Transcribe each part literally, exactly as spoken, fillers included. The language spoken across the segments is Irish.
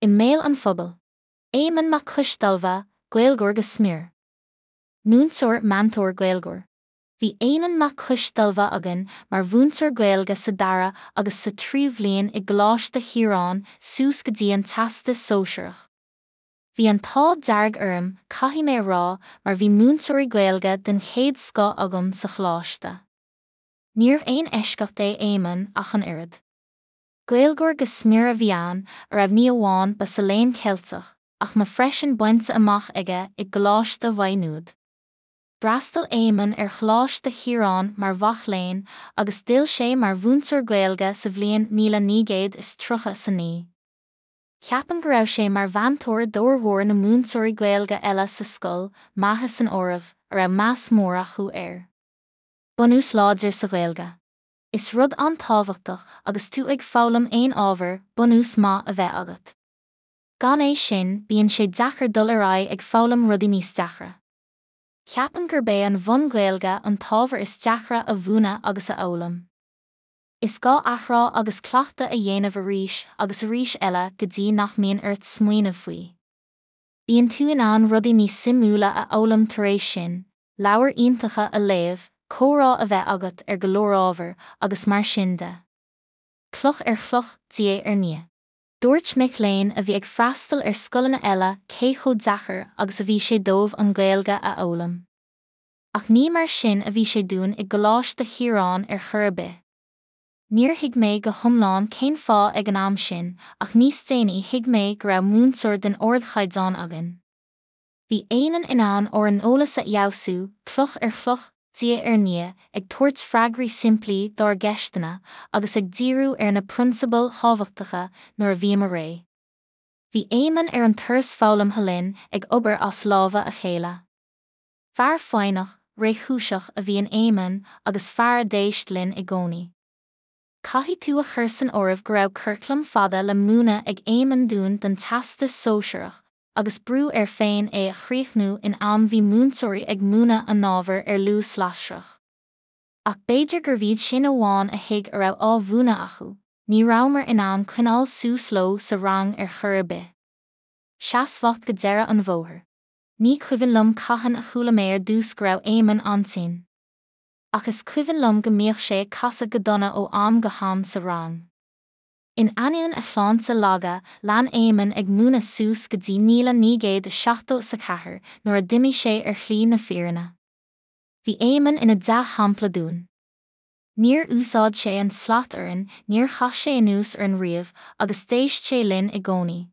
I mbéal an phobail. Éamonn Mac Coisdealbha, Gaeilgeoir go smior. Múinteoir meantóir Gaeilgeoir. Bhí Éamonn Mac Coisdealbha againn mar mhúinteoir Gaeilge sa dara agus sa tríú bhliain i gColáiste Chiaráin suas go dtí an Teastas Sóisearach. Bhí an t-ádh dearg orm, caithfidh mé a rá, mar bhí múinteoirí Gaeilge den chéad scoth agam sa choláiste. Níorbh aon eisceacht é Éamonn ach an oiread. Gaeilgeoir go smior a bhí ann, a raibh ní amháin ba sa Léann Ceilteach, ach ma freisin bainte amach aige i gColáiste Mhaigh Nuad. D'fhreastail Éamonn ar Choláiste Chiaráin mar mhac léinn agus d'fhill sé mar mhúinteoir Gaeilge sa bhliain míle naoi gcéad is tríocha is a naoi. Ceapaim go raibh sé mar mheantóir d'fhormhór na múinteoirí Gaeilge eile sa scoil, m'athair san áireamh, a raibh meas mór acu air. Bunús láidir sa Ghaeilge. Is rud an-tábhachtach agus tú ag foghlaim aon ábhar, bunús maith a bheith agat. Gan é sin, bíonn sé deacair dul ar aghaidh ag foghlaim rudaí níos deacra. Ceapaim gurb é an bhun-Ghaeilge an t-ábhar is deacra a mhúineadh agus a fhoghlaim. Is gá athrá agus cleachtadh a dhéanamh arís agus arís eile go dtí nach mbíonn ort smaoineamh faoi. Bíonn tú in ann rudaí níos suimiúla a fhoghlaim tar éis sin, leabhair iontacha a léamh, comhrá a bheith agat ar go leor ábhar, agus mar sin de. Cloch ar chloch, diaidh ar ndiaidh. Dúirt mic léinn a bhí ag freastal ar scoileanna eile cé chomh deacair agus a bhí sé dóibh an Ghaeilge a fhoghlaim. Ach ní mar sin a bhí sé dúinn i gColáiste Chiaráin ar chor ar bith. Níor thuig mé go hiomlán cén fáth ag an am sin, ach níos déanaí thuig mé go raibh múinteoir den ardchaighdeán againn. Bhí Éamonn in ann ár n-eolas a fheabhsú, cloch ar chloch, diaidh ar ndiaidh, ag tabhairt freagraí simplí dár gceisteanna agus ag díriú ar na prionsabail thábhachtacha nuair a bhíomar réidh. Bhí Éamonn ar an turas foghlamtha linn ag obair as lámha a chéile. Fear foighneach, réchúiseach a bhí in Éamonn agus fear a d'éist linn i gcónaí. Caithfidh tú a chur san áireamh go raibh curaclam fada le múineadh ag Éamonn dúinn don Teastas Sóisearach, agus brú air féin é a chríochnú in am bhí múinteoirí ag múineadh a n-ábhar ar luas lasrach. Ach b'fhéidir gurbh iad sin amháin a thuig a raibh á mhúineadh acu, ní rabhamar in ann coinneáil suas leo sa rang ar chor ar bith. Seasmhacht go deireadh an bhóthair. Ní cuimhin liom cathain a chuala mé ar dtús go raibh Éamonn an-tinn. Ach is cuimhin liom go mbíodh sé ag casadh go dona ó am go ham sa rang. In ainneoin a shláinte laga, lean Éamonn ag múineadh suas go dtí míle naoi gcéad is seachtó is a ceathair nuair a d'imigh sé ar shlí na fírinne. Bhí Éamonn ina dea-shampla dúinn. Níor úsáid sé an tslat orainn, níor chaith sé anuas orainn riamh agus d'éist sé linn i gcónaí.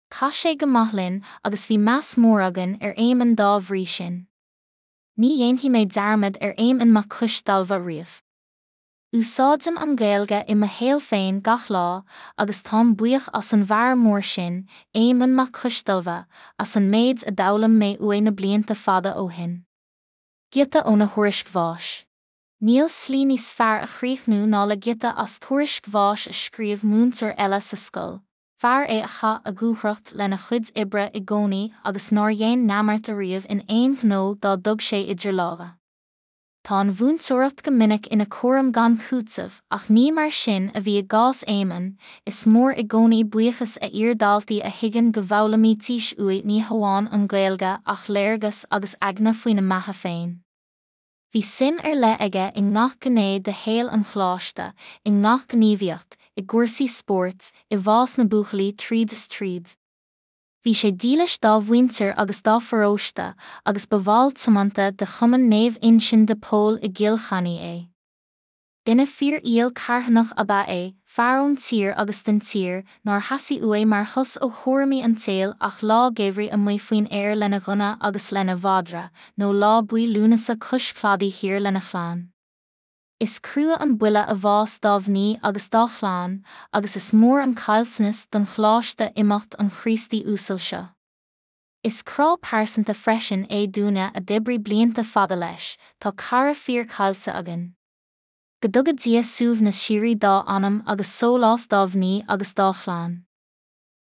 Chaith sé go maith linn agus bhí meas mór againn ar Éamonn dá bhrí sin. Ní dhéanfaidh mé dearmad ar Éamonn Mac Coisdealbha riamh. Úsáidim an Ghaeilge i mo shaol féin gach lá agus táim buíoch as an bhfear mór sin, Éamonn Mac Coisdealbha, as an méid a d'fhoghlaim mé uaidh na blianta fada ó shin. Giota óna thuairisc bháis. Níl slí níos fearr a chríochnú ná le giota as tuairisc bháis a scríobh múinteoir eile sa scoil, fear é a chaith a dhúthracht lena chuid oibre i gcónaí agus nár dhein neamart ariamh in aon ghnó dá dtug sé idir lámha. Tá an mhúinteoireacht go minic ina cúram gan chúiteamh ach ní mar sin a bhí i gcás Éamonn, is mór i gcónaí buíochas a iardhaltaí a thuigeann go bhfoghlaimítís uaidh ní hamháin an Ghaeilge ach léargas agus eagna faoina mbeatha féin. Bhí suim ar leith aige i ngach gné de shaol an choláiste, i ngach gníomhaíocht, i gcúrsaí spóirt, i bhfás na buachaillí tríd is tríd. Bhí sé dílis dá mhuintir agus dá pharóiste agus ba bhall tiomanta de Chumann Naomh Uinseann de Pól i gCill Chainnigh é. Duine fíorfhial carthanach ab ea é, fear ón tír agus den tír, nár theastaigh uaidh mar shos ó chúraimí an tsaoil ach lá geimhridh amuigh faoin aer lena ghunna agus lena mhadra, nó lá buí Lúnasa cois cladaigh thiar lena chlann. Is crua an buille a bhás dá mhnaoi agus dá chlann, agus is mór an caillteanas don choláiste imeacht an Chríostaí uasail seo. Is crá pearsanta freisin é dúinne a d'oibrigh blianta fada leis, tá cara fíor caillte againn. Go dtuga Dia suaimhneas síoraí dá anam agus sólás dá mhnaoi agus dá chlann.